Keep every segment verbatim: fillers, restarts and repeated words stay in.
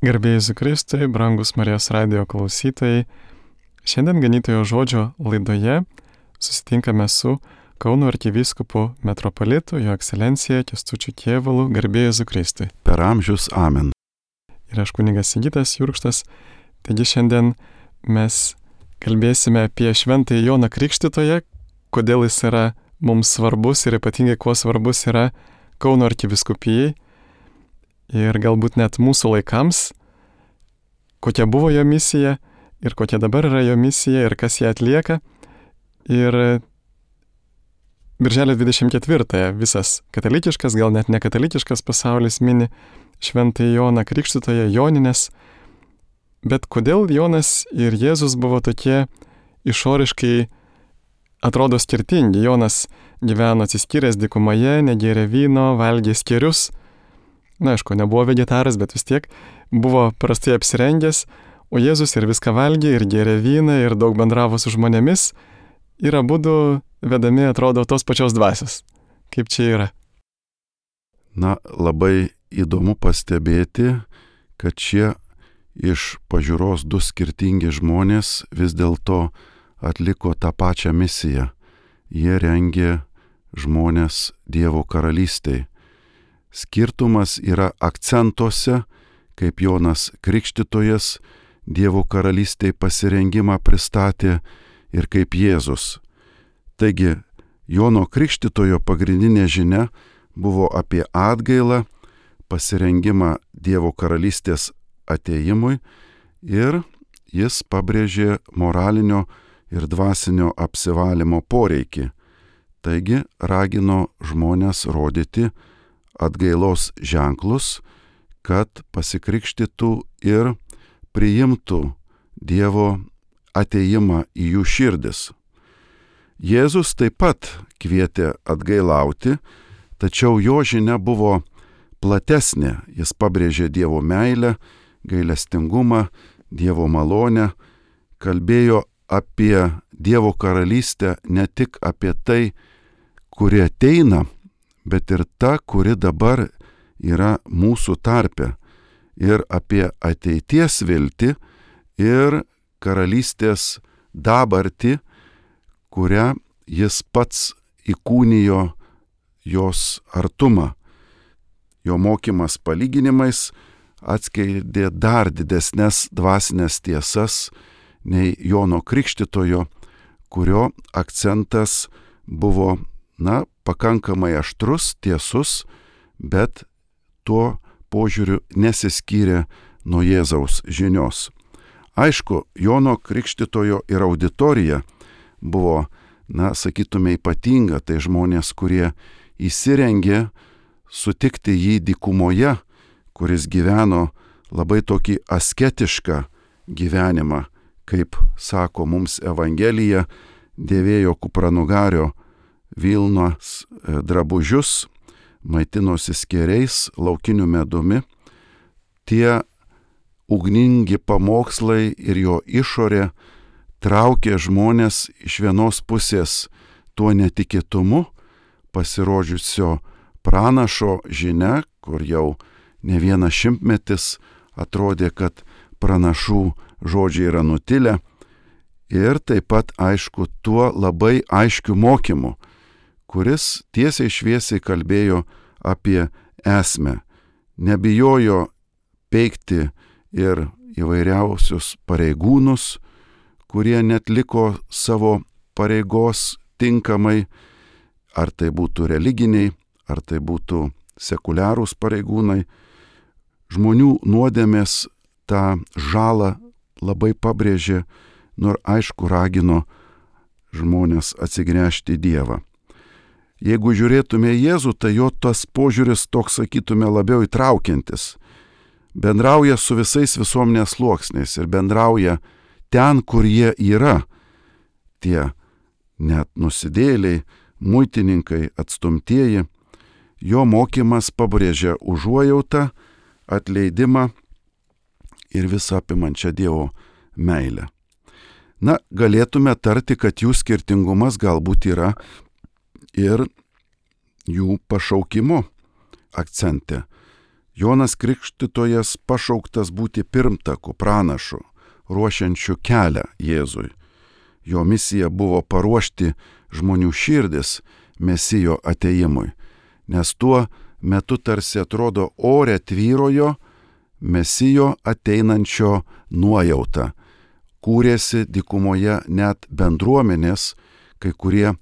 Garbėjai Jėzui Kristui, brangus Marijos radijo klausytojai, šiandien Ganytojo žodžio laidoje susitinkame su Kauno arkivyskupu metropolitu, jo ekscelencija Kęstučiu Kėvalu, garbėjai Jėzui Kristui. Per amžius amen. Ir aš kunigas Sigitas Jurkštas, taigi šiandien mes kalbėsime apie šventąjį Joną Krikštytoją, kodėl jis yra mums svarbus ir ypatingai kuo svarbus yra Kauno arkivyskupijai. Ir galbūt net mūsų laikams, kokia buvo jo misija ir kokia dabar yra jo misija ir kas ją atlieka. Ir birželio dvidešimt ketvirtąją visas katalikiškas, gal net nekatalikiškas pasaulis mini šventąjį Joną Krikštytoją, Jonines. Bet kodėl Jonas ir Jėzus buvo tokie išoriškai atrodo skirtingi? Jonas gyveno atsiskyręs dykumoje, negėrė vyno, valgė skėrius. Na, aišku, nebuvo vegetaras, bet vis tiek buvo prastai apsirengęs, o Jėzus ir viską valgė, ir gėrė vyną, ir daug bendravo su žmonėmis, ir abudu vedami atrodo tos pačios dvasios. Kaip čia yra? Na, labai įdomu pastebėti, kad šie iš pažiūros du skirtingi žmonės vis dėlto atliko tą pačią misiją. Jie rengė žmonės Dievo karalystei. Skirtumas yra akcentuose, kaip Jonas Krikštytojas Dievo karalystei pasirengimą pristatė ir kaip Jėzus. Taigi, Jono Krikštytojo pagrindinė žinia buvo apie atgailą, pasirengimą Dievo karalystės atėjimui ir jis pabrėžė moralinio ir dvasinio apsivalymo poreikį. Taigi, ragino žmonės rodyti atgailos ženklus, kad pasikrikštytų ir priimtų Dievo atėjimą į jų širdis. Jėzus taip pat kvietė atgailauti, tačiau jo žinia buvo platesnė. Jis pabrėžė Dievo meilę, gailestingumą, Dievo malonę, kalbėjo apie Dievo karalystę, ne tik apie tai, kuri ateina, bet ir ta, kuri dabar yra mūsų tarpe, ir apie ateities viltį ir karalystės dabartį, kurią jis pats įkūnijo jos artumą. Jo mokymas palyginimais atskleidė dar didesnes dvasinės tiesas nei Jono Krikštytojo, kurio akcentas buvo, na, pakankamai aštrus, tiesus, bet tuo požiūriu nesiskyrė nuo Jėzaus žinios. Aišku, Jono Krikštytojo ir auditorija buvo, na, sakytume, ypatinga, tai žmonės, kurie įsirengė sutikti jį dykumoje, kuris gyveno labai tokį asketišką gyvenimą, kaip sako mums Evangelija, dėvėjo kupranugario vilnos drabužius, maitinosi skėriais, laukiniu medumi. Tie ugningi pamokslai ir jo išorė traukė žmonės iš vienos pusės tuo netikėtumu, pasirodžiusio pranašo žinia, kur jau ne vienas šimtmetis atrodė, kad pranašų žodžiai yra nutilę, ir taip pat, aišku, tuo labai aiškiu mokymu, kuris tiesiai šviesiai kalbėjo apie esmę, nebijojo peikti ir įvairiausius pareigūnus, kurie netliko savo pareigos tinkamai, ar tai būtų religiniai, ar tai būtų sekuliarūs pareigūnai. Žmonių nuodėmės tą žalą labai pabrėžė, nors aišku ragino žmonės atsigręžti į Dievą. Jeigu žiūrėtume į Jėzų, tai jo tas požiūris toks, sakytume, labiau įtraukiantis. Bendrauja su visais visuomenės sluoksniais ir bendrauja ten, kur jie yra. Tie net nusidėjėliai, muitininkai, atstumtieji. Jo mokymas pabrėžia užuojautą, atleidimą ir visą apimančią Dievo meilę. Na, galėtume tarti, kad jų skirtingumas galbūt yra ir jų pašaukimo akcente. Jonas Krikštytojas pašauktas būti pirmtaku, pranašu, ruošiančiu kelią Jėzui. Jo misija buvo paruošti žmonių širdis Mesijo atėjimui, nes tuo metu tarsi atrodo ore tvyrojo Mesijo ateinančio nuojauta. Kūrėsi dykumoje net bendruomenės, kai kurie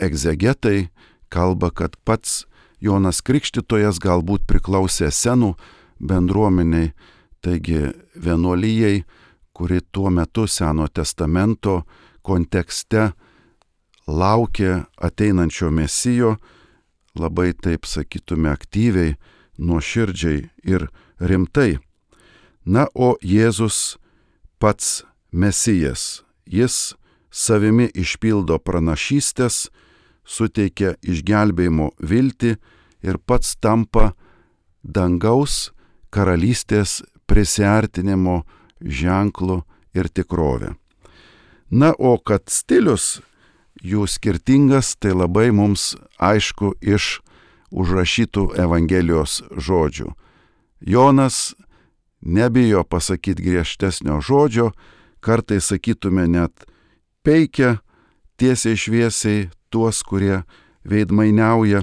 egzegetai kalba, kad pats Jonas Krikštytojas galbūt priklausė senų bendruomeniai, taigi vienuolijai, kuri tuo metu Seno testamento kontekste laukė ateinančio Mesijo, labai taip sakytume aktyviai, nuoširdžiai ir rimtai. Na, o Jėzus pats Mesijas, jis savimi išpildo pranašystės, suteikia išgelbėjimo viltį ir pats tampa dangaus karalystės prisiartinimo ženklu ir tikrove. Na, o kad stilius jų skirtingas, tai labai mums aišku iš užrašytų Evangelijos žodžių. Jonas nebijo pasakyti griežtesnio žodžio, kartais sakytume net peikia tiesiai šviesiai tuos, kurie veidmainiauja,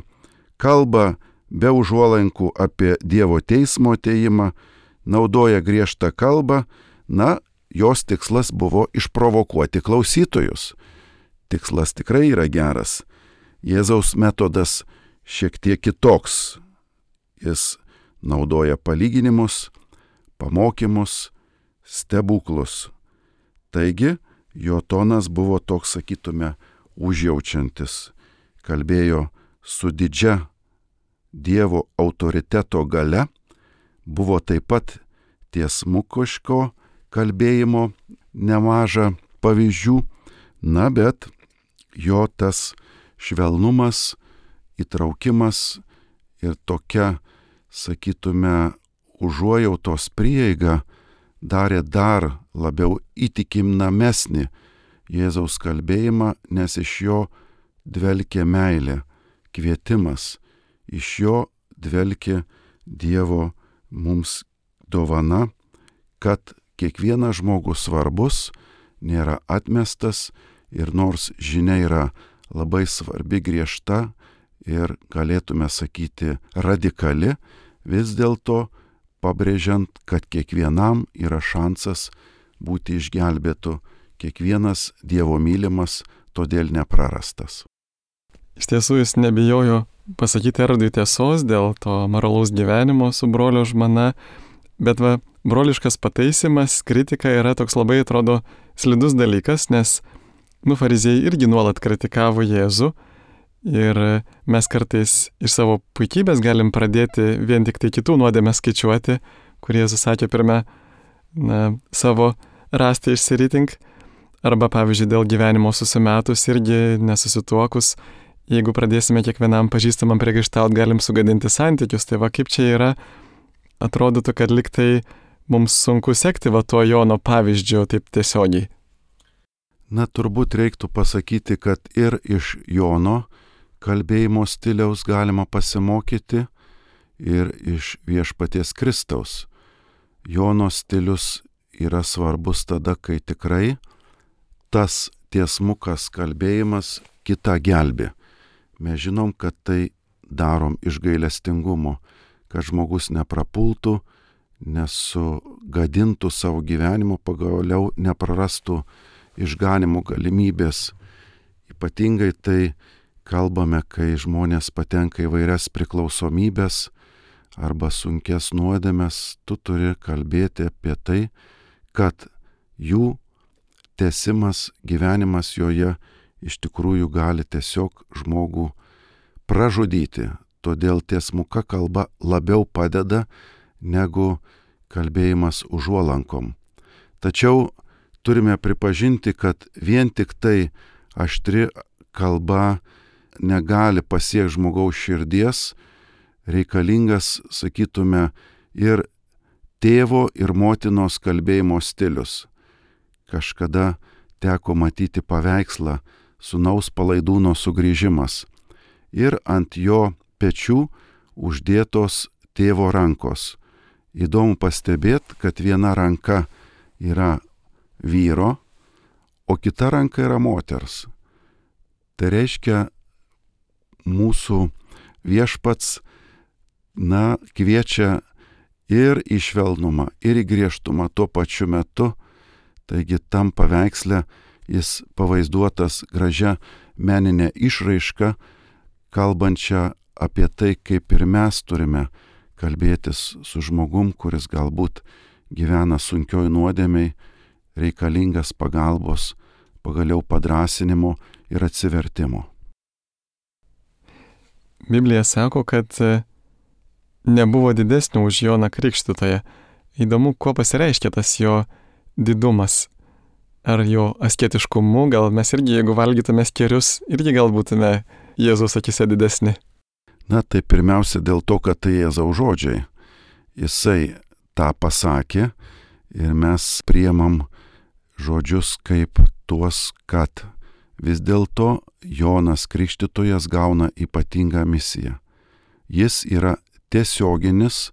kalba be užuolankų apie Dievo teismo atėjimą, naudoja griežtą kalbą, na, jos tikslas buvo išprovokuoti klausytojus. Tikslas tikrai yra geras. Jėzaus metodas šiek tiek kitoks. Jis naudoja palyginimus, pamokymus, stebuklus. Taigi, jo tonas buvo toks, sakytume, užjaučiantis. Kalbėjo su didžia Dievo autoriteto galia, buvo taip pat tiesmukiško kalbėjimo nemaža pavyzdžių, na, bet jo tas švelnumas, įtraukimas ir tokia, sakytume, užuojautos prieiga darė dar labiau įtikimnamesnį Jėzaus kalbėjimą, nes iš jo dvelkė meilė, kvietimas, iš jo dvelkė Dievo mums dovana, kad kiekvienas žmogus svarbus, nėra atmestas ir nors žinia yra labai svarbi, griežta ir galėtume sakyti radikali, vis dėlto pabrėžiant, kad kiekvienam yra šansas būti išgelbėtu, kiekvienas Dievo mylimas, todėl neprarastas. Iš tiesų jis nebijojo pasakyti Erodui tiesos dėl to moralaus gyvenimo su brolio žmona, bet va, broliškas pataisimas, kritika yra toks labai, atrodo, slidus dalykas, nes, nu, fariziejai irgi nuolat kritikavo Jėzų ir mes kartais iš savo puikybės galim pradėti vien tik tai kitų nuodėmę skaičiuoti, kur Jėzus sakė pirmia, na, savo rastą išsiritink, arba, pavyzdžiui, dėl gyvenimo susimetus irgi nesusituokus, jeigu pradėsime kiekvienam pažįstamam priekaištaut, galim sugadinti santykius, tai va kaip čia yra, atrodytų, kad liktai mums sunku sekti va tuo Jono pavyzdžiu taip tiesiogiai. Na, turbūt reiktų pasakyti, kad ir iš Jono kalbėjimo stiliaus galima pasimokyti ir iš Viešpaties Kristaus. Jono stilius yra svarbus tada, kai tikrai tas tiesmukas kalbėjimas kitą gelbė. Mes žinom, kad tai darom iš gailestingumo, kad žmogus neprapultų, nesugadintų savo gyvenimo, pagaliau neprarastų išganimo galimybės. Ypatingai tai kalbame, kai žmonės patenka į vairias priklausomybės arba sunkes nuodėmes, tu turi kalbėti apie tai, kad jų tęsimas, gyvenimas joje iš tikrųjų gali tiesiog žmogų pražudyti. Todėl tiesmuka kalba labiau padeda negu kalbėjimas užuolankom. Tačiau turime pripažinti, kad vien tik tai aštri kalba negali pasiekti žmogaus širdies, reikalingas, sakytume, ir tėvo ir motinos kalbėjimo stilius. Kažkada teko matyti paveikslą Sūnaus palaidūno sugrįžimas ir ant jo pečių uždėtos tėvo rankos. Įdomu pastebėti, kad viena ranka yra vyro, o kita ranka yra moters. Tai reiškia, mūsų viešpats, na, kviečia ir į švelnumą, ir į griežtumą tuo pačiu metu. Taigi tam paveiksle jis pavaizduotas gražia meninė išraiška, kalbančia apie tai, kaip ir mes turime kalbėtis su žmogum, kuris galbūt gyvena sunkioj nuodėmei, reikalingas pagalbos, pagaliau padrąsinimo ir atsivertimo. Biblija sako, kad nebuvo didesnio už Joną Krikštytoją. Įdomu, kuo pasireiškia tas jo didumas. Ar jo asketiškumu, gal mes irgi, jeigu valgytume skėrius, irgi gal būtume Jėzaus akise didesni. Na, tai pirmiausia dėl to, kad tai Jėzaus žodžiai. Jisai tą pasakė ir mes priemam žodžius kaip tuos, kad vis dėlto Jonas Krikštytojas gauna ypatingą misiją. Jis yra tiesioginis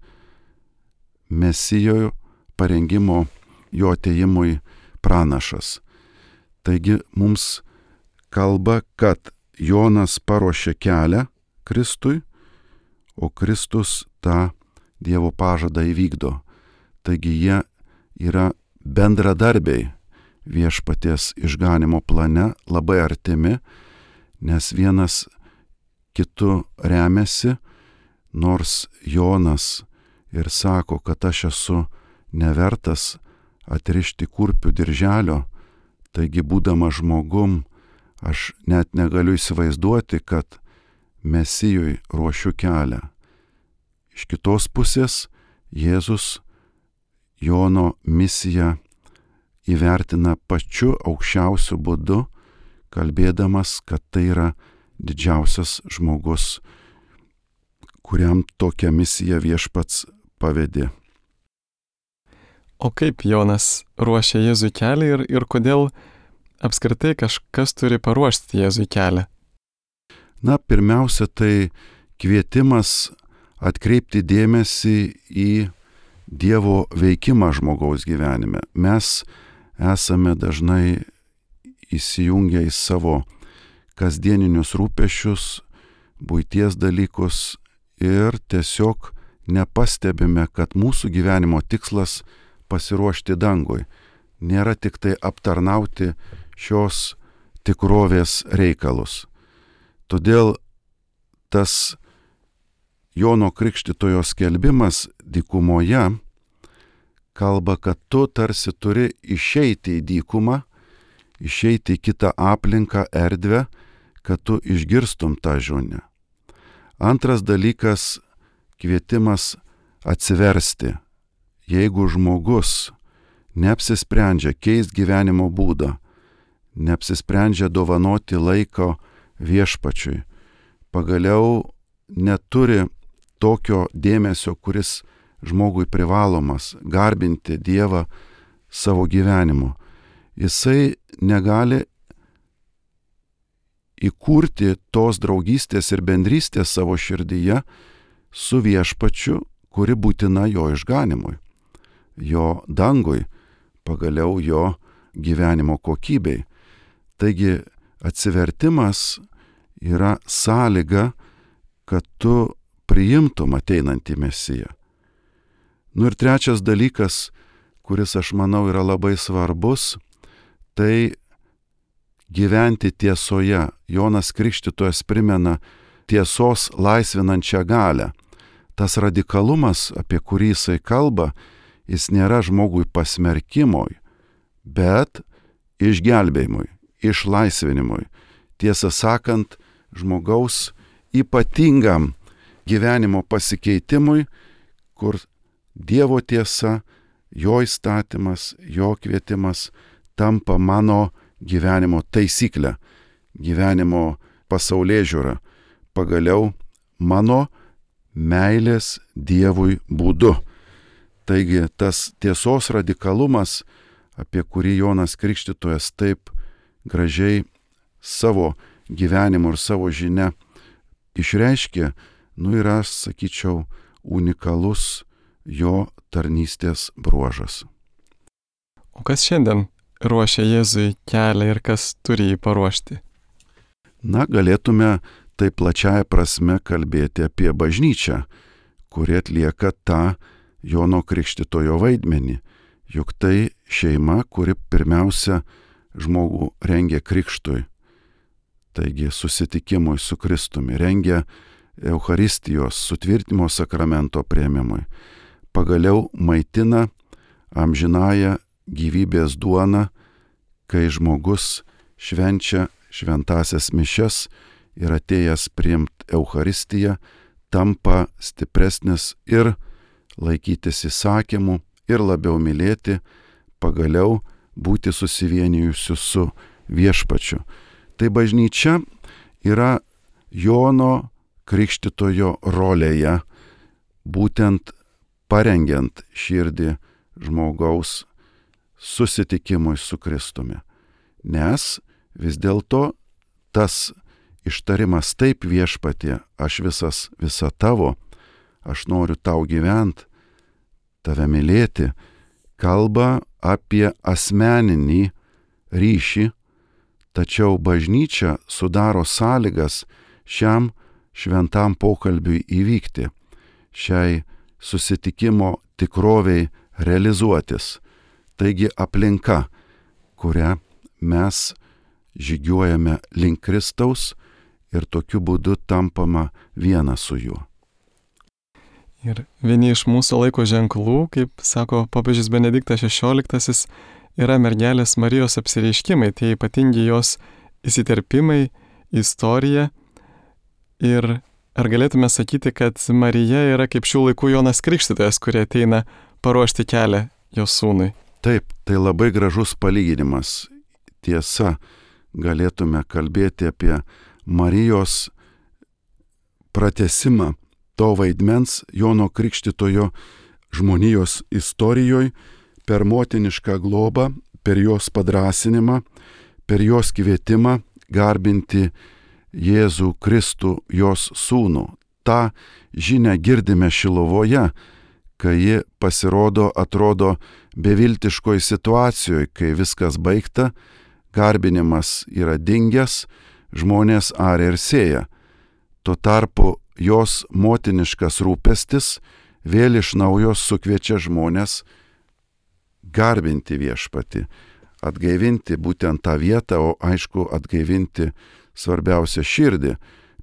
Mesijo parengimo jo atėjimui pranašas. Taigi mums kalba, kad Jonas paruošė kelią Kristui, o Kristus tą Dievo pažadą įvykdo. Taigi jie yra bendradarbiai viešpaties išganimo plane, labai artimi, nes vienas kitu remiasi, nors Jonas ir sako, kad aš esu nevertas atrišti kurpių dirželio, taigi būdamas žmogum, aš net negaliu įsivaizduoti, kad Mesijui ruošiu kelią. Iš kitos pusės Jėzus Jono misiją įvertina pačiu aukščiausiu būdu, kalbėdamas, kad tai yra didžiausias žmogus, kuriam tokią misiją viešpats pavedė. O kaip Jonas ruošia Jėzui kelią ir, ir kodėl apskritai kažkas turi paruošti Jėzui kelią? Na, pirmiausia, tai kvietimas atkreipti dėmesį į Dievo veikimą žmogaus gyvenime. Mes esame dažnai įsijungę į savo kasdieninius rūpesčius, buities dalykus ir tiesiog nepastebime, kad mūsų gyvenimo tikslas pasiruošti dangui. Nėra tik tai aptarnauti šios tikrovės reikalus. Todėl tas Jono Krikštytojo skelbimas dykumoje kalba, kad tu tarsi turi išeiti į dykumą, išeiti į kitą aplinką, erdvę, kad tu išgirstum tą žinią. Antras dalykas - kvietimas atsiversti. Jeigu žmogus neapsisprendžia keisti gyvenimo būdą, neapsisprendžia dovanoti laiko viešpačiui, pagaliau neturi tokio dėmesio, kuris žmogui privalomas, garbinti Dievą savo gyvenimu. Jisai negali įkurti tos draugystės ir bendrystės savo širdyje su viešpačiu, kuri būtina jo išganimui, jo dangui, pagaliau jo gyvenimo kokybei. Taigi atsivertimas yra sąlyga, kad tu priimtum ateinantį Mesiją. Nu ir trečias dalykas, kuris aš manau yra labai svarbus, tai gyventi tiesoje. Jonas Krikštytojas primena tiesos laisvinančią galią. Tas radikalumas, apie kurį jisai kalba, jis nėra žmogui pasmerkimui, bet išgelbėjimui, išlaisvinimui. Tiesą sakant, žmogaus ypatingam gyvenimo pasikeitimui, kur Dievo tiesa, jo įstatymas, jo kvietimas tampa mano gyvenimo taisyklė, gyvenimo pasaulėžiūra, pagaliau mano meilės Dievui būdu. Taigi tas tiesos radikalumas, apie kurį Jonas Krikštytojas taip gražiai savo gyvenimu ir savo žinia išreiškė, nu yra, sakyčiau, unikalus jo tarnystės bruožas. O kas šiandien ruošia Jėzui kelią ir kas turi jį paruošti? Na, galėtume tai plačiaja prasme kalbėti apie bažnyčią, kuri atlieka tą Jono Krikštytojo vaidmenį. Juk tai šeima, kuri pirmiausia žmogų rengia krikštui, taigi susitikimui su Kristumi, rengia Eucharistijos sutvirtinimo sakramento priėmimui, pagaliau maitina amžinąją gyvybės duoną, kai žmogus švenčia šventasias mišias ir atėjęs priimt Eucharistiją, tampa stipresnis ir laikytis įsakymų, ir labiau mylėti, pagaliau būti susivienijusiu su viešpačiu. Tai bažnyčia yra Jono Krikštytojo rolėje, būtent parengiant širdį žmogaus susitikimui su Kristumi. Nes vis dėlto tas ištarimas taip viešpatie, aš visas, visa tavo, aš noriu tau gyvent, tave mylėti, kalba apie asmeninį ryšį, tačiau bažnyčia sudaro sąlygas šiam šventam pokalbiui įvykti, šiai susitikimo tikroviai realizuotis. Taigi aplinka, kurią mes žygiuojame link Kristaus ir tokiu būdu tampama viena su juo. Ir vieni iš mūsų laiko ženklų, kaip sako popiežius Benediktas šešioliktasis, yra mergelės Marijos apsireiškimai, tie ypatingi jos įsiterpimai, istorija. Ir ar galėtume sakyti, kad Marija yra kaip šių laikų Jonas Krikštytojas, kurie ateina paruošti kelią jos sūnui? Taip, tai labai gražus palyginimas. Tiesa, galėtume kalbėti apie Marijos pratesimą to vaidmens Jono Krikštytojo žmonijos istorijoje per motinišką globą, per jos padrąsinimą, per jos kvietimą garbinti Jėzų Kristų, jos sūnų. Ta žinia girdime Šilovoje, kai ji pasirodo, atrodo beviltiškoj situacijoje, kai viskas baigta, garbinimas yra dingęs, žmonės aria ir sėja. Tuo tarpu jos motiniškas rūpestis vėl iš naujo sukviečia žmonės garbinti viešpatį, atgaivinti būtent tą vietą, o aišku atgaivinti svarbiausia širdį,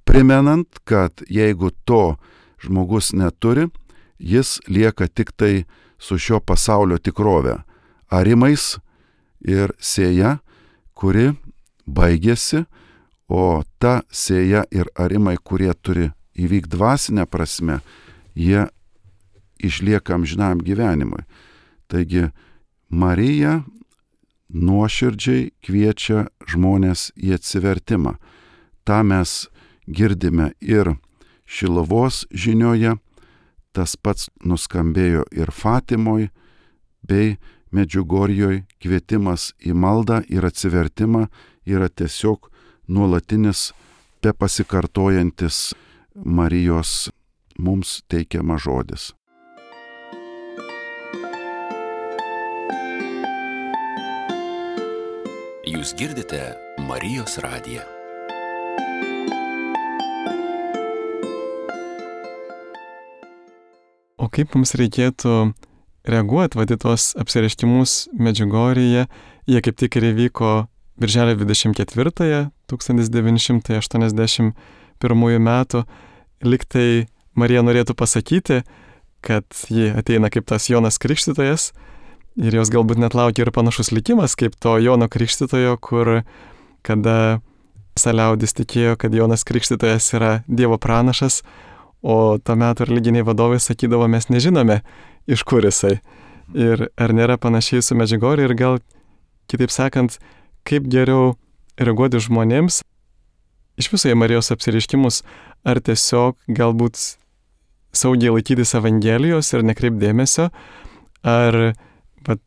primenant, kad jeigu to žmogus neturi, jis lieka tik tai su šio pasaulio tikrove, arimais ir sėja, kuri baigėsi, o ta sėja ir arimai, kurie turi įvyk dvasinę prasme, jie išlieka amžinam gyvenimui. Taigi Marija nuoširdžiai kviečia žmonės į atsivertimą. Ta mes girdime ir Šiluvos žinioje, tas pats nuskambėjo ir Fatimoj, bei Medžiugorjoj. Kvietimas į maldą ir atsivertimą yra tiesiog nuolatinis, be pasikartojantis Marijos mums teikiamas žodis. Jūs girdite Marijos radiją. O kaip mums reikėtų reaguoti vadį tos apsireiškimus Medžiugorjėje? Jie kaip tik ir įvyko birželio dvidešimt ketvirtąją tūkstantis devyni šimtai aštuoniasdešimt pirmųjų metų. Liktai Marija norėtų pasakyti, kad ji ateina kaip tas Jonas Krikštytojas ir jos galbūt net laukia ir panašus likimas kaip to Jono Krikštytojo, kur kada saliaudis tikėjo, kad Jonas Krikštytojas yra Dievo pranašas, o to metu religiniai vadovai sakydavo, mes nežinome, iš kur jisai. Ir ar nėra panašiai su Medžiugorje ir gal, kitaip sakant, kaip geriau reaguoti žmonėms iš viso į Marijos apsireiškimus, ar tiesiog galbūt saugiai laikytis Evangelijos ir nekreipti dėmesio, ar vat,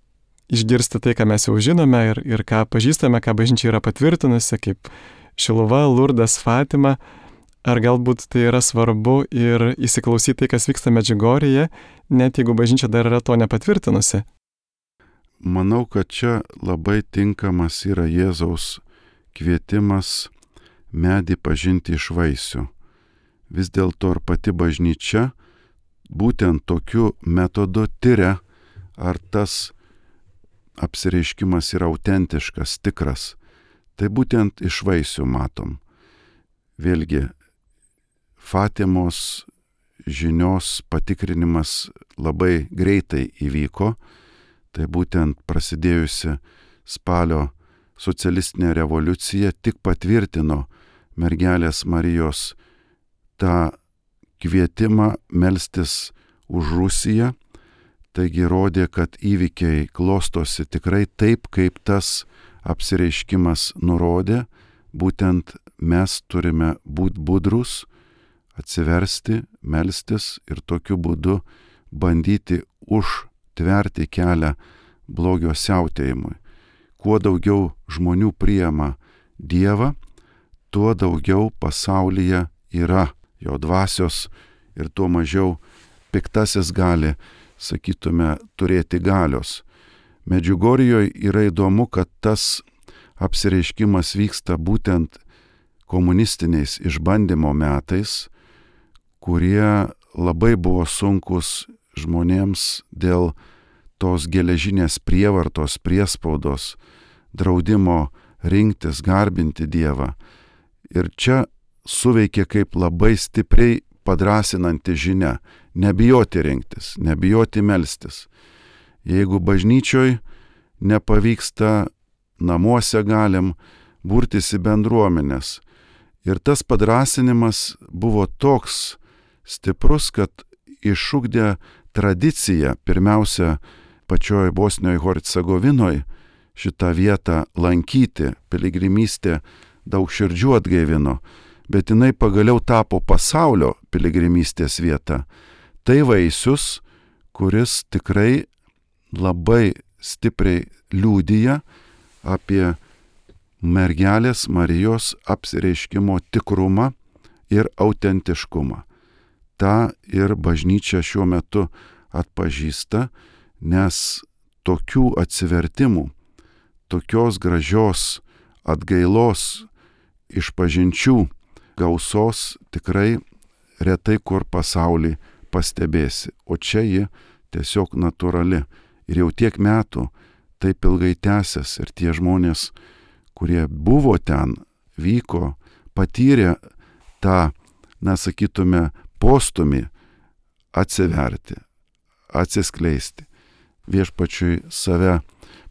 išgirsti tai, ką mes jau žinome ir, ir ką pažįstame, ką bažnyčia yra patvirtinusi, kaip Šiluva, Lurdas, Fatima, Ar galbūt tai yra svarbu ir įsiklausyti tai, kas vyksta Medžiugorjėje, net jeigu bažnyčia dar yra to nepatvirtinusi? Manau, kad čia labai tinkamas yra Jėzaus kvietimas medį pažinti iš vaisių. Vis dėlto ir pati bažnyčia būtent tokiu metodu tyria, ar tas apsireiškimas yra autentiškas, tikras. Tai būtent iš vaisių matom. Vėlgi, Fatimos žinios patikrinimas labai greitai įvyko. Tai būtent prasidėjusi spalio socialistinė revoliucija tik patvirtino mergelės Marijos tą kvietimą melstis už Rusiją. Taigi rodė, kad įvykiai klostosi tikrai taip, kaip tas apsireiškimas nurodė. Būtent mes turime būti budrus, atsiversti, melstis ir tokiu būdu bandyti užtverti kelią blogio siautėjimui. Kuo daugiau žmonių priima Dievą, tuo daugiau pasaulyje yra jo dvasios ir tuo mažiau piktasis gali, sakytume, turėti galios. Medžiugorjėje yra įdomu, kad tas apsireiškimas vyksta būtent komunistiniais išbandymo metais, kurie labai buvo sunkus žmonėms dėl tos geležinės prievartos, priespaudos, draudimo rinktis, garbinti Dievą. Ir čia suveikė kaip labai stipriai padrasinanti žinia - nebijoti rinktis, nebijoti melstis. Jeigu bažnyčioj nepavyksta, namuose galim burtis į bendruomenės. Ir tas padrasinimas buvo toks stiprus, kad išugdė tradiciją, pirmiausia, pačioj Bosnijoje Hercegovinoje šitą vietą lankyti, piligrimystė daug širdžių atgaivino, bet jinai pagaliau tapo pasaulio piligrimystės vieta. Tai vaisius, kuris tikrai labai stipriai liudija apie mergelės Marijos apsireiškimo tikrumą ir autentiškumą. Ta ir bažnyčia šiuo metu atpažįsta, nes tokių atsivertimų, tokios gražios atgailos išpažinčių gausos tikrai retai kur pasaulį pastebėsi, o čia ji tiesiog natūrali. Ir jau tiek metų taip ilgai tęsiasi ir tie žmonės, kurie buvo ten, vyko, patyrė tą, na sakytume, postumį atsiverti, atsiskleisti, viešpačiui save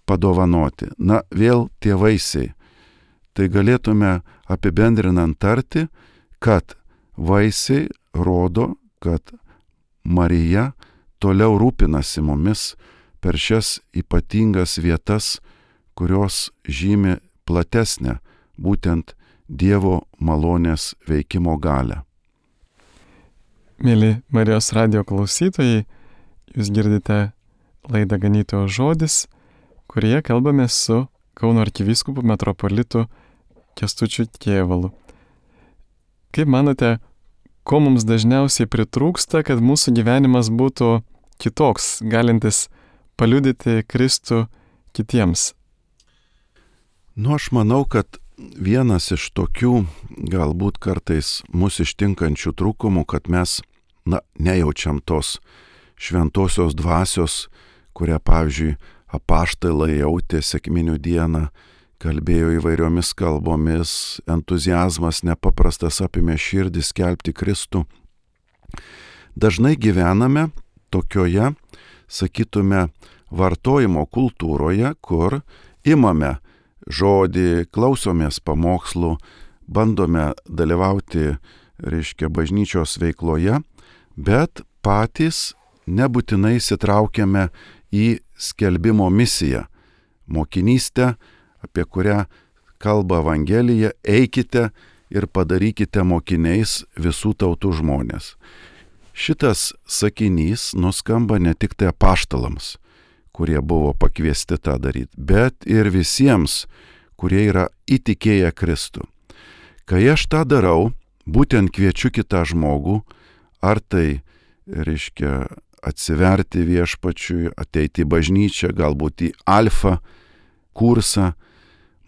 padovanoti. Na, vėl tie vaisiai. Tai galėtume apibendrinant tarti, kad vaisiai rodo, kad Marija toliau rūpinasi mumis per šias ypatingas vietas, kurios žymi platesnę būtent Dievo malonės veikimo galią. Mėly Marijos radijo klausytojai, jūs girdite laidą Ganytojo žodis, kurioje kalbame su Kauno arkivyskupu metropolitu Kęstučiu Kėvalu. Kaip manote, ko mums dažniausiai pritrūksta, kad mūsų gyvenimas būtų kitoks, galintis paliudyti Kristų kitiems? Nu, aš manau, kad vienas iš tokių galbūt kartais mus ištinkančių trūkumų, kad mes, na, nejaučiam tos šventosios dvasios, kurią, pavyzdžiui, apaštalai jautė sekminių dieną, kalbėjo įvairiomis kalbomis, entuzijazmas nepaprastas apimė širdį skelbti Kristų. Dažnai gyvename tokioje, sakytume, vartojimo kultūroje, kur imame žodį, klausomės pamokslų, bandome dalyvauti, reiškia, bažnyčios veikloje, bet patys nebūtinai įsitraukiame į skelbimo misiją, mokinystę, apie kurią kalba Evangelija, eikite ir padarykite mokiniais visų tautų žmonės. Šitas sakinys nuskamba ne tik tai apaštalams, kurie buvo pakviesti tą daryti, bet ir visiems, kurie yra įtikėję Kristų. Kai aš tą darau, būtent kviečiu kitą žmogų, ar tai reiškia atsiverti viešpačiui, ateiti į bažnyčią, galbūt į alfa kursą,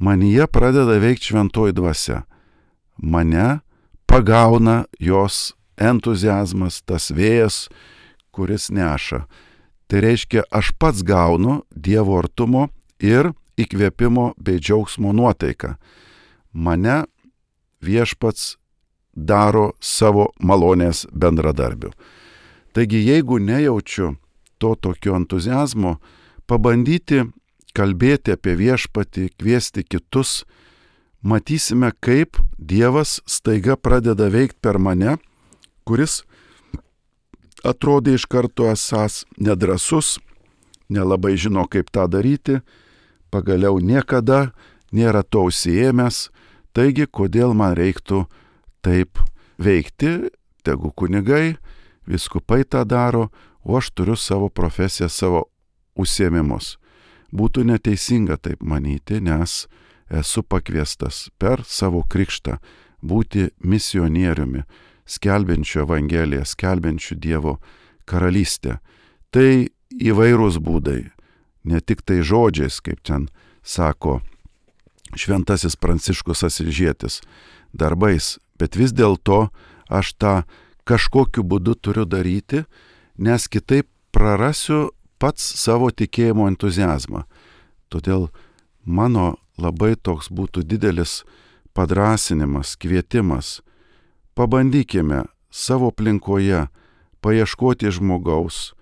manyje pradeda veikti šventoji dvasia. Mane pagauna jos entuziazmas, tas vėjas, kuris neša. Tai reiškia, aš pats gaunu Dievo artumo ir įkvėpimo bei džiaugsmo nuotaiką. Mane viešpats daro savo malonės bendradarbiu. Taigi, jeigu nejaučiu to tokio entuziazmo, pabandyti kalbėti apie viešpatį, kviesti kitus, matysime, kaip Dievas staiga pradeda veikti per mane, kuris atrodė iš karto esąs nedrąsus, nelabai žino, kaip tą daryti, pagaliau niekada nėra to užsiėmęs, taigi kodėl man reiktų taip veikti, tegu kunigai, vyskupai tą daro, o aš turiu savo profesiją, savo užsiėmimus. Būtų neteisinga taip manyti, nes esu pakviestas per savo krikštą būti misionieriumi, skelbiančiu Evangeliją, skelbiančiu Dievo karalystę. Tai įvairūs būdai, ne tik tai žodžiais, kaip ten sako šventasis Pranciškus Asyžietis, darbais, bet vis dėlto aš tą kažkokiu būdu turiu daryti, nes kitaip prarasiu pats savo tikėjimo entuziazmą. Todėl mano labai toks būtų didelis padrąsinimas, kvietimas. Pabandykime savo aplinkoje paieškoti žmogaus,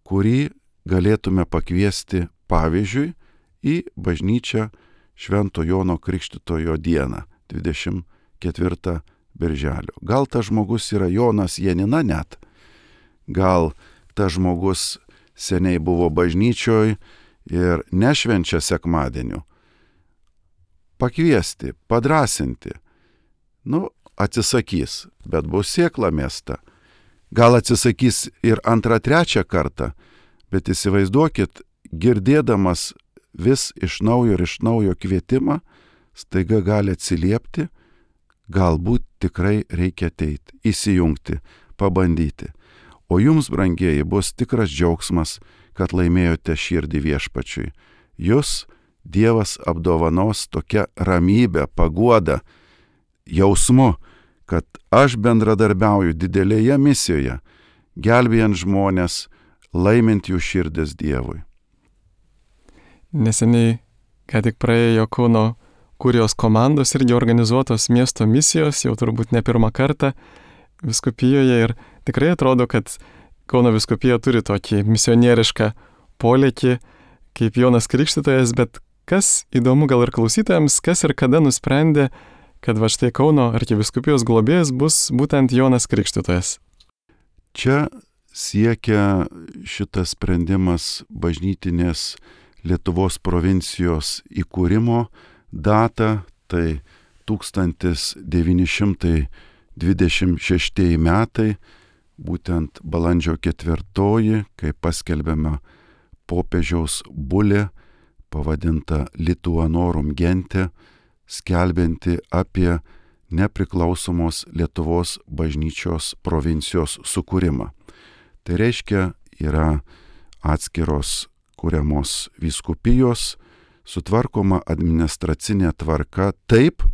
kurį galėtume pakviesti pavyzdžiui į bažnyčią Švento Jono Krikštytojo dieną, dvidešimt ketvirtą birželio. Gal tas žmogus yra Jonas Janina net, gal tas žmogus seniai buvo bažnyčioj ir nešvenčia sekmadienių. Pakviesti, padrąsinti. Nu, atsisakys, bet bus sėkla mesta. Gal atsisakys ir antrą, trečią kartą, bet įsivaizduokit, girdėdamas vis iš naujo ir iš naujo kvietimą, staiga gali atsiliepti, galbūt tikrai reikia ateiti, įsijungti, pabandyti. O jums, brangieji, bus tikras džiaugsmas, kad laimėjote širdį viešpačiui. Jūs Dievas apdovanos tokia ramybė, paguoda, jausmu, kad aš bendradarbiauju didelėje misijoje, gelbėjant žmonės, laimint jų širdis Dievui. Neseniai, ką tik praėjo Kauno kurijos komandos irgi organizuotos miesto misijos, jau turbūt ne pirmą kartą vyskupijoje, ir tikrai atrodo, kad Kauno vyskupija turi tokį misionierišką polėkį kaip Jonas Krikštytojas, bet kas įdomu gal ir klausytojams, kas ir kada nusprendė, kad va štai Kauno arkivyskupijos globėjas bus būtent Jonas Krikštytojas. Čia siekia šitas sprendimas bažnytinės Lietuvos provincijos įkūrimo datą, tai tūkstantis devyni šimtai dvidešimt šeštieji metai, būtent balandžio ketvirtoji, kai paskelbėme popiežiaus bulė, pavadinta Lituanorum gente, skelbianti apie nepriklausomos Lietuvos bažnyčios provincijos sukūrimą. Tai reiškia, yra atskiros kuriamos vyskupijos, sutvarkoma administracinė tvarka taip,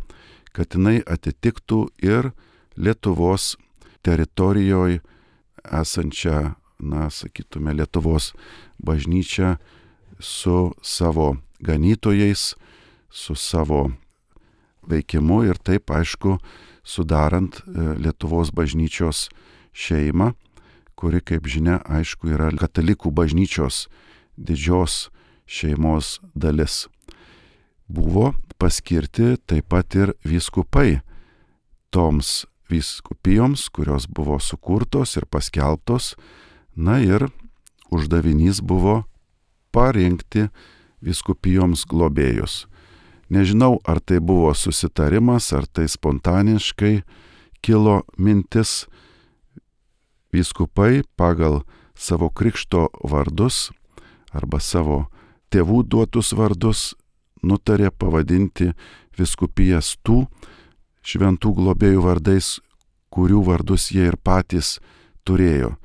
kad jinai atitiktų ir Lietuvos teritorijoje esančią, na, sakytume, Lietuvos bažnyčią su savo ganytojais, su savo veikimu ir taip, aišku, sudarant Lietuvos bažnyčios šeimą, kuri, kaip žinia, aišku, yra katalikų bažnyčios didžios šeimos dalis. Buvo paskirti taip pat ir vyskupai toms vyskupijoms, kurios buvo sukurtos ir paskelbtos, na ir uždavinys buvo parinkti vyskupijoms globėjus. Nežinau, ar tai buvo susitarimas, ar tai spontaniškai kilo mintis. Vyskupai pagal savo krikšto vardus arba savo tėvų duotus vardus nutarė pavadinti vyskupijas tų šventų globėjų vardais, kurių vardus jie ir patys turėjo.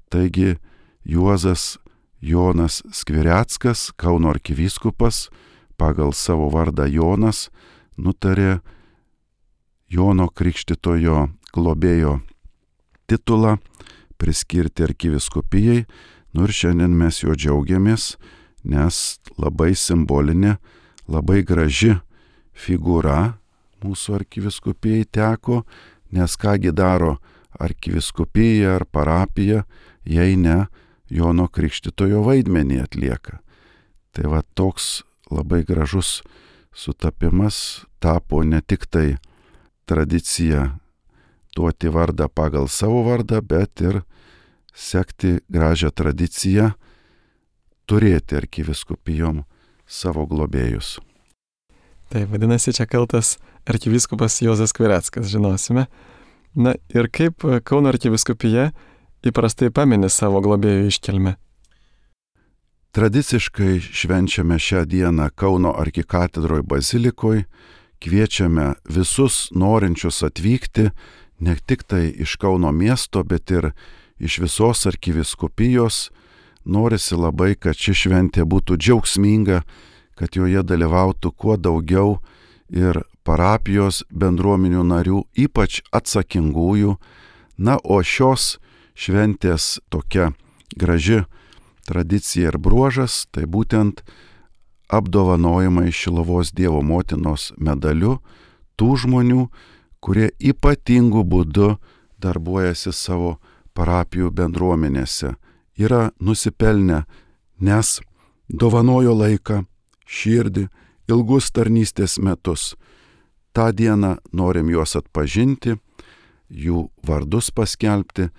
Taigi Juozas Jonas Skvireckas, Kauno arkivyskupas, pagal savo vardą Jonas, nutarė Jono Krikštytojo globėjo titulą priskirti arkivyskupijai, nu ir šiandien mes juo džiaugiamės, nes labai simbolinė, labai graži figūra mūsų arkivyskupijai teko, nes kągi daro arkivyskupija ar parapija, jei ne Jono Krikštytojo vaidmenį atlieka. Tai va toks labai gražus sutapimas tapo ne tik tai tradicija duoti vardą pagal savo vardą, bet ir sekti gražią tradiciją turėti arkivyskupijom savo globėjus. Tai vadinasi, čia kaltas arkivyskupas Juozas Skvireckas, žinosime. Na ir kaip Kauno arkivyskupija įprastai pamini savo globėjų iškilmę? Tradiciškai švenčiame šią dieną Kauno arkikatedroj bazilikoj, kviečiame visus norinčius atvykti, ne tik tai iš Kauno miesto, bet ir iš visos arkivyskupijos. Norisi labai, kad ši šventė būtų džiaugsminga, kad joje dalyvautų kuo daugiau ir parapijos bendruomenių narių, ypač atsakingųjų. Na, o šios šventės tokia graži tradicija ir bruožas, tai būtent apdovanojimai Šiluvos Dievo motinos medaliu tų žmonių, kurie ypatingų būdu darbuojasi savo parapijų bendruomenėse, yra nusipelnę, nes dovanojo laiką, širdį, ilgus tarnystės metus. Ta dieną norim juos atpažinti, jų vardus paskelbti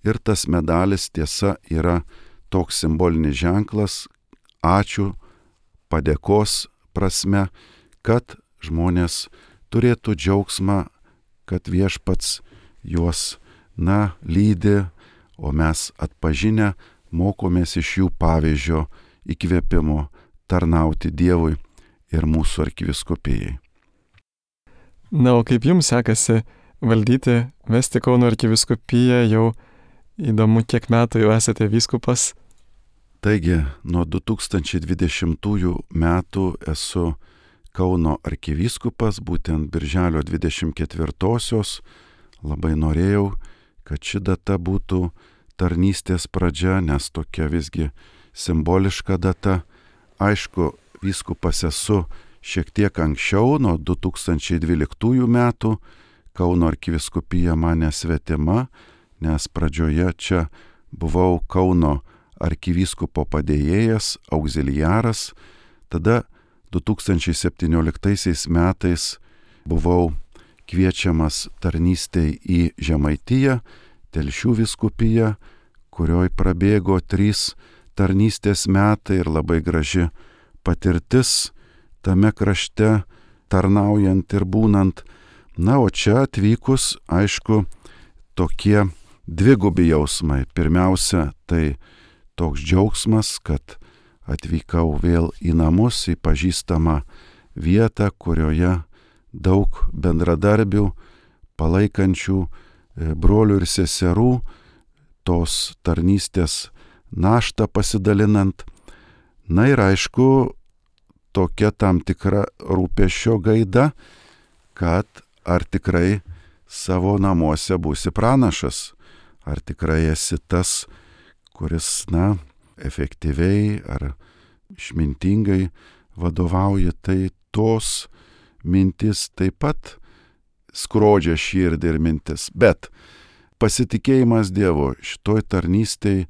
ir tas medalis tiesa yra toks simbolinis ženklas, ačiū, padėkos prasme, kad žmonės turėtų džiaugsmą, kad viešpats juos, na, lydi, o mes atpažinę mokomės iš jų pavyzdžio įkvėpimo tarnauti Dievui ir mūsų arkivyskupijai. Na, o kaip jums sekasi valdyti, vesti Kauno arkivyskupiją, jau įdomu, kiek metų jau esate vyskupas? Taigi, nuo du tūkstančiai dvidešimtųjų metų esu Kauno arkivyskupas, būtent birželio dvidešimt ketvirtosios. Labai norėjau, kad ši data būtų tarnystės pradžia, nes tokia visgi simboliška data. Aišku, vyskupas esu šiek tiek anksčiau, nuo du tūkstančiai dvyliktųjų metų. Kauno arkivyskupija man nesvetima, nes pradžioje čia buvau Kauno arkivyskupo padėjėjas, auxiliaras. Tada du tūkstančiai septynioliktaisiais metais buvau kviečiamas tarnystei į Žemaitiją, Telšių vyskupiją, kurioj prabėgo trys tarnystės metai ir labai graži patirtis tame krašte, tarnaujant ir būnant. Na, o čia atvykus, aišku, tokie dvigubi jausmai. Pirmiausia, tai toks džiaugsmas, kad atvykau vėl į namus, į pažįstamą vietą, kurioje daug bendradarbių, palaikančių brolių ir seserų, tos tarnystės naštą pasidalinant. Na ir aišku, tokia tam tikra rūpesčio gaida, kad ar tikrai savo namuose būsi pranašas, ar tikrai esi tas, kuris, na, efektyviai ar išmintingai vadovauja. Tai tos mintis taip pat skrodžia širdį ir mintis. Bet pasitikėjimas Dievu šitoj tarnystėj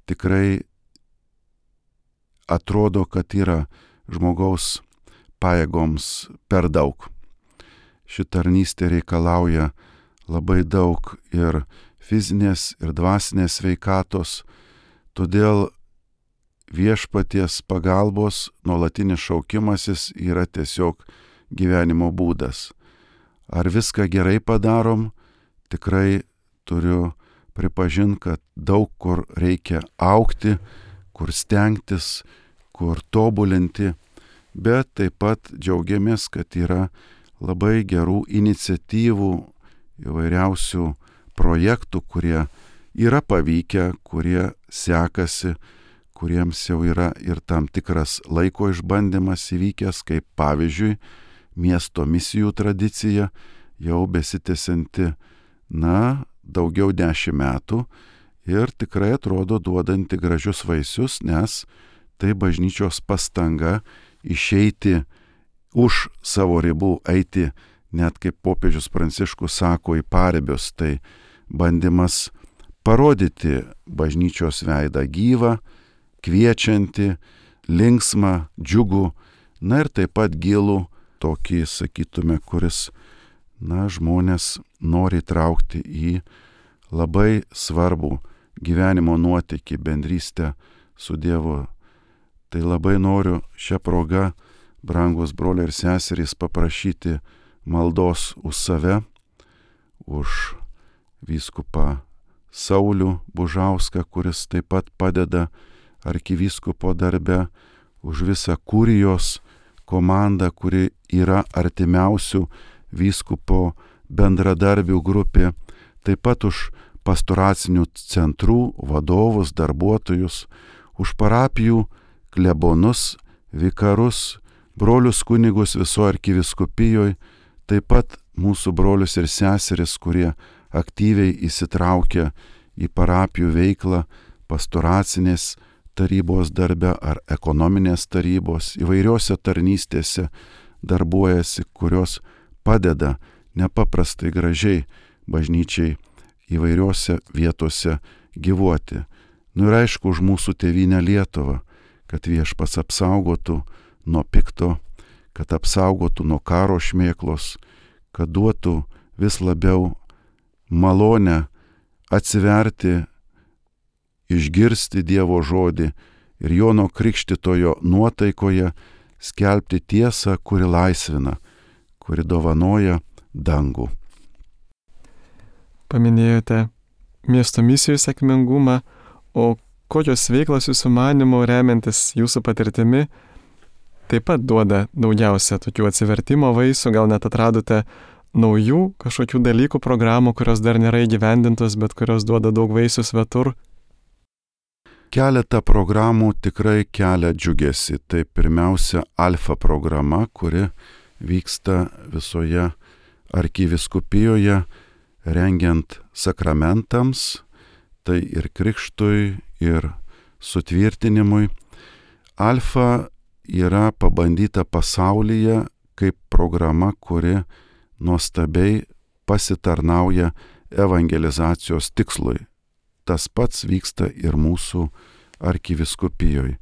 tikrai atrodo, kad yra žmogaus pajėgoms per daug. Ši tarnystė reikalauja labai daug ir fizinės, ir dvasinės sveikatos, todėl viešpaties pagalbos nuolatinis šaukimasis yra tiesiog gyvenimo būdas. Ar viską gerai padarom? Tikrai turiu pripažinti, kad daug kur reikia augti, kur stengtis, kur tobulinti, bet taip pat džiaugiamės, kad yra labai gerų iniciatyvų, įvairiausių projektų, kurie yra pavykę, kurie sekasi, kuriems jau yra ir tam tikras laiko išbandymas įvykęs, kaip pavyzdžiui miesto misijų tradicija, jau besitęsianti, na, daugiau dešimt metų ir tikrai atrodo duodanti gražius vaisius, nes tai bažnyčios pastanga išeiti už savo ribų, eiti, net kaip popiežius Pranciškus sako, į paribius, tai bandymas parodyti bažnyčios veidą gyvą, kviečiantį, linksmą, džiugų, na ir taip pat gilų, tokį, sakytume, kuris, na, žmonės nori traukti į labai svarbų gyvenimo nuotykį, bendrystę su Dievu. Tai labai noriu šią progą, brangus broliai ir seserys, paprašyti maldos už save, už vyskupą Saulių Bužauską, kuris taip pat padeda arkivyskupo darbe, už visą kurijos komandą, kuri yra artimiausių vyskupo bendradarbių grupė, taip pat už pastoracinių centrų vadovus, darbuotojus, už parapijų klebonus, vikarus, brolius kunigus visoje arkiviskupijoje, taip pat mūsų brolius ir seseris, kurie aktyviai įsitraukia į parapijų veiklą, pastoracinės tarybos darbe ar ekonominės tarybos, įvairiose tarnystėse darbuojasi, kurios padeda nepaprastai gražiai bažnyčiai įvairiose vietose gyvuoti. Nu ir aišku, už mūsų tėvynę Lietuvą, kad Viešpats apsaugotų nuo pikto, kad apsaugotų nuo karo šmėklos, kad duotų vis labiau malonę atsiverti, išgirsti Dievo žodį ir Jono Krikštytojo nuotaikoje skelbti tiesą, kuri laisvina, kuri dovanoja dangų. Paminėjote miesto misijų sėkmingumą, o kokios veiklos jūsų manymu, remiantis jūsų patirtimi, taip pat duoda daugiausia tokių atsivertimo vaisių, gal net atradote naujų kažkokių dalykų, programų, kurios dar nėra įgyvendintos, bet kurios duoda daug vaisių svetur? Keletą programų tikrai kelia džiugesį. Tai pirmiausia Alfa programa, kuri vyksta visoje arkiviskupijoje, rengiant sakramentams, tai ir krikštui, ir sutvirtinimui. Alfa yra pabandyta pasaulyje kaip programa, kuri nuostabiai pasitarnauja evangelizacijos tikslui. Tas pats vyksta ir mūsų arkiviskupijoje.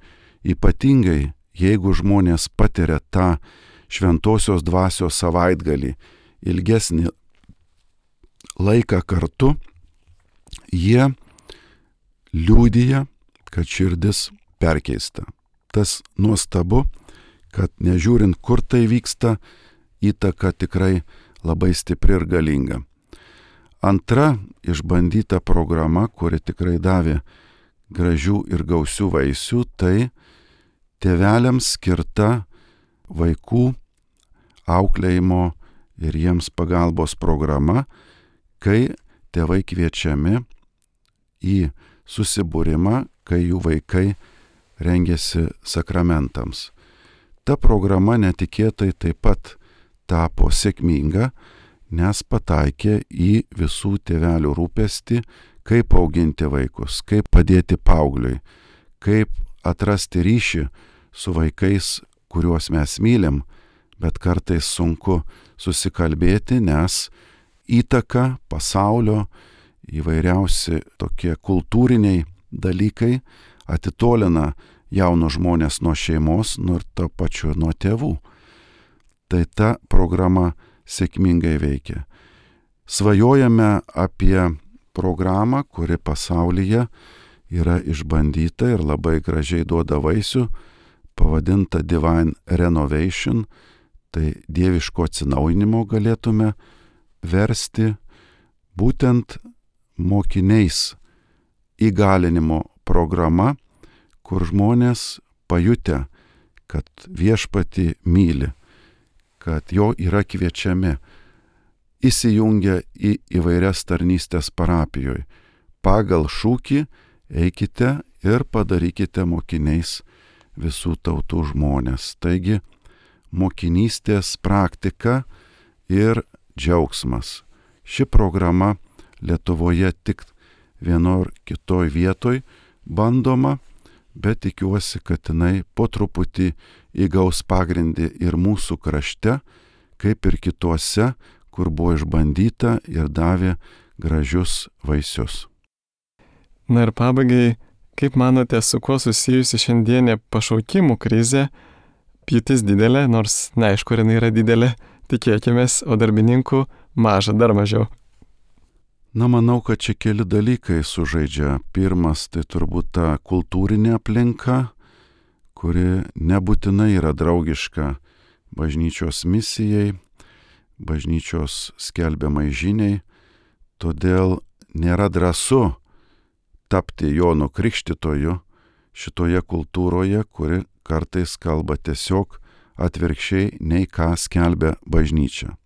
Ypatingai, jeigu žmonės patiria tą šventosios dvasios savaitgalį, ilgesnį laiką kartu, jie liudija, kad širdis perkeista. Tas nuostabu, kad nežiūrint, kur tai vyksta, įtaka tikrai labai stipri ir galinga. Antra išbandyta programa, kuri tikrai davė gražių ir gausių vaisių, tai tėveliams skirta vaikų auklėjimo ir jiems pagalbos programa, kai tėvai kviečiami į susibūrimą, kai jų vaikai rengiasi sakramentams. Ta programa netikėtai taip pat tapo sėkminga, nes pataikė į visų tėvelių rūpestį, kaip auginti vaikus, kaip padėti paaugliui, kaip atrasti ryšį su vaikais, kuriuos mes mylim, bet kartais sunku susikalbėti, nes įtaka pasaulio, įvairiausi tokie kultūriniai dalykai atitolina jaunus žmonės nuo šeimos, nu ir to pačiu nuo tėvų. Tai ta programa sėkmingai veikia. Svajojame apie programą, kuri pasaulyje yra išbandyta ir labai gražiai duoda vaisių, pavadinta Divine Renovation, tai dieviško atsinaujinimo galėtume versti, būtent mokiniais įgalinimo programa, kur žmonės pajutę, kad Viešpatį myli, kad jo yra kviečiami įsijungia į įvairias tarnystės parapijoje. Pagal šūkį eikite ir padarykite mokiniais visų tautų žmonės. Taigi mokinystės praktika ir džiaugsmas. Ši programa Lietuvoje tik vienor kitoj vietoj bandoma, bet tikiuosi, kad jinai po truputį įgaus pagrindį ir mūsų krašte, kaip ir kituose, kur buvo išbandyta ir davė gražius vaisius. Na ir pabaigai, kaip manote, su kuo susijusi šiandienė pašaukimų krizė? Pjūtis didelė, nors neaišku, ar jinai yra didelė, tikėkimės, o darbininkų maža, dar mažiau. Na, manau, kad čia keli dalykai sužaidžia. Pirmas, tai turbūt ta kultūrinė aplinka, kuri nebūtinai yra draugiška bažnyčios misijai, bažnyčios skelbiamai žiniai, todėl nėra drąsu tapti Jonu Krikštytoju šitoje kultūroje, kuri kartais kalba tiesiog atvirkščiai nei ką skelbia bažnyčia.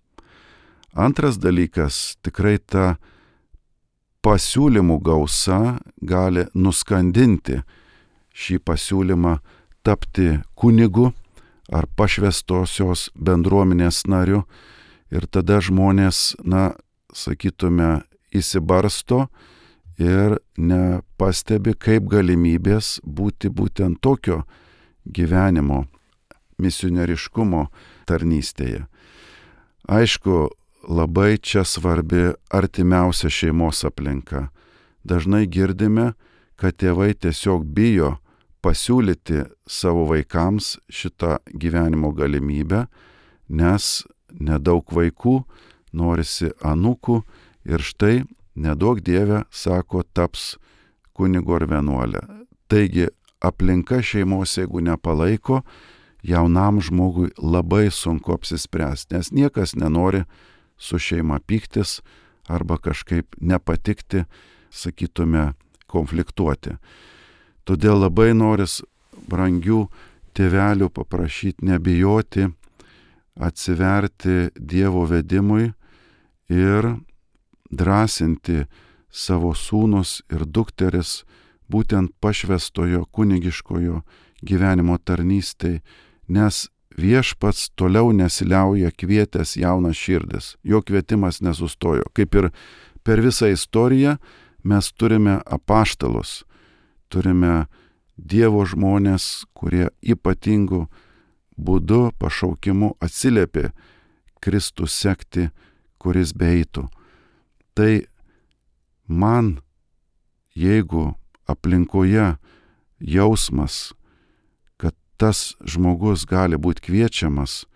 Antras dalykas, tikrai ta pasiūlymų gausa gali nuskandinti šį pasiūlymą tapti kunigu ar pašvestosios bendruomenės nariu ir tada žmonės, na, sakytume, įsibarsto ir nepastebi kaip galimybės būti būtent tokio gyvenimo, misionieriškumo tarnystėje. Aišku, labai čia svarbi artimiausia šeimos aplinka. Dažnai girdime, kad tėvai tiesiog bijo pasiūlyti savo vaikams šitą gyvenimo galimybę, nes nedaug vaikų, norisi anūkų ir štai nedaug Dieve, sako, taps kunigu ar vienuolė. Taigi aplinka šeimos, jeigu nepalaiko, jaunam žmogui labai sunku apsispręsti, nes niekas nenori su šeima pyktis arba kažkaip nepatikti, sakytume, konfliktuoti. Todėl labai noris brangių tėvelių paprašyti nebijoti, atsiverti Dievo vedimui ir drąsinti savo sūnus ir dukteris būtent pašvestojo kunigiškojo gyvenimo tarnystei, nes Viešpats toliau nesiliauja kvietęs jaunas širdis, jo kvietimas nesustojo. Kaip ir per visą istoriją mes turime apaštalus, turime Dievo žmonės, kurie ypatingų būdu pašaukimu atsiliepė Kristų sekti, kuris beeitų. Tai man, jeigu aplinkoje jausmas, tas žmogus gali būti kviečiamas,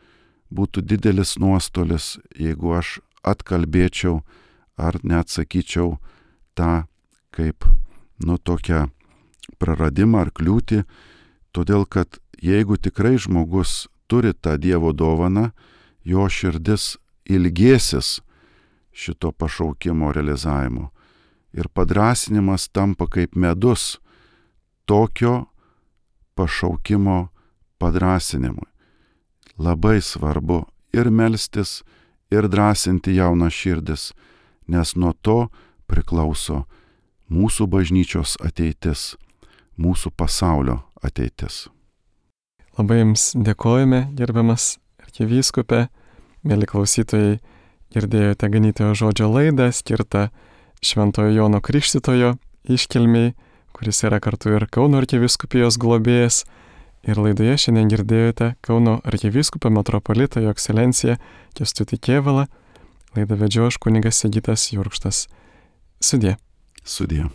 būtų didelis nuostolis, jeigu aš atkalbėčiau ar neatsakyčiau tą kaip, nu, tokią praradimą ar kliūtį, todėl kad jeigu tikrai žmogus turi tą Dievo dovaną, jo širdis ilgėsis šito pašaukimo realizavimo. Ir padrąsinimas tampa kaip medus tokio pašaukimo padrąsinimui. Labai svarbu ir melstis, ir drąsinti jaunas širdis, nes nuo to priklauso mūsų bažnyčios ateitis, mūsų pasaulio ateitis. Labai Jums dėkojame, gerbiamas arkivyskupe, mėly klausytojai, girdėjote ganytojo žodžio laidą skirtą Šventojo Jono Krikštytojo iškilmei, kuris yra kartu ir Kauno arkivyskupijos globėjas. Ir laidoje šiandien girdėjote Kauno arkivyskupą metropolitą Jo ekscelenciją Kęstutį Kėvalą. Laidą vedžiau aš kunigas Sigitas Jurkštas. Sudie. Sudie.